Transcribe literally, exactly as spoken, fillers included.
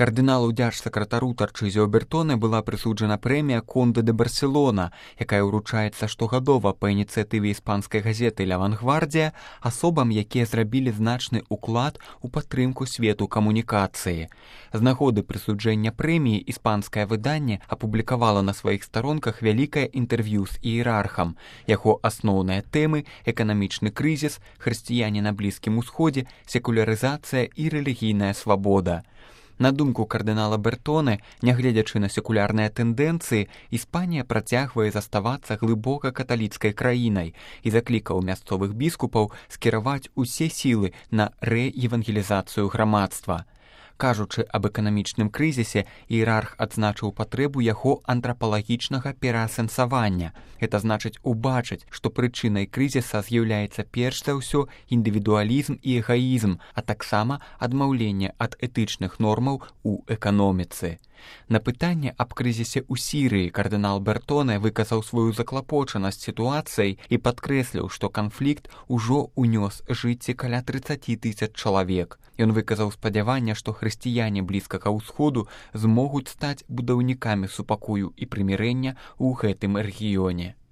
Кардыналу дзяржсакратару Тарчызіо Бертоне была прысуджана прэмія Конде де Барселона, якая ўручаецца штогадова па ініцыятыве іспанскай газеты «Л'Авангвардія» асобам, якія зрабілі значны ўклад у падтрымку свету камунікацыі. З нагоды прысуджэння прэміі іспанскае выданне апублікавала на сваіх старонках вялікае інтэрв'ю з іерархам. Яго асноўныя тэмы – эканамічны крызіс, хрысціяне на Блізкім Усходзе, секулярызацыя і рэлігійная свабода. На думку кардынала Бертоне, нягледзячы на секулярныя тэндэнцыі, Іспанія працягвае заставацца глыбока каталіцкай краінай і заклікаў мясцовых біскупаў скіраваць усе сілы на рэевангелізацыю грамадства. Кажучы аб эканамічным крызісе, іерарх адзначыў патрэбу яго антрапалагічнага пераасэнсавання. Гэта значыць убачыць, што прычынай крызіса з'яўляецца перш за ўсё індывідуалізм і эгаізм, а таксама адмаўленне ад этычных нормаў у эканоміцы. На пытанне аб крызісе ў Сірыі кардынал Бертоне выказаў сваю заклапочанасць сітуацыяй і падкрэсліў, што канфлікт ужо ўнёс жыцці каля трыццаці тысяч чалавек. Ён выказаў спадзяванне, што хрысціяне Блізкага ўсходу змогуць стаць будаўнікамі супакою і прымірэння ў гэтым рэгіёне.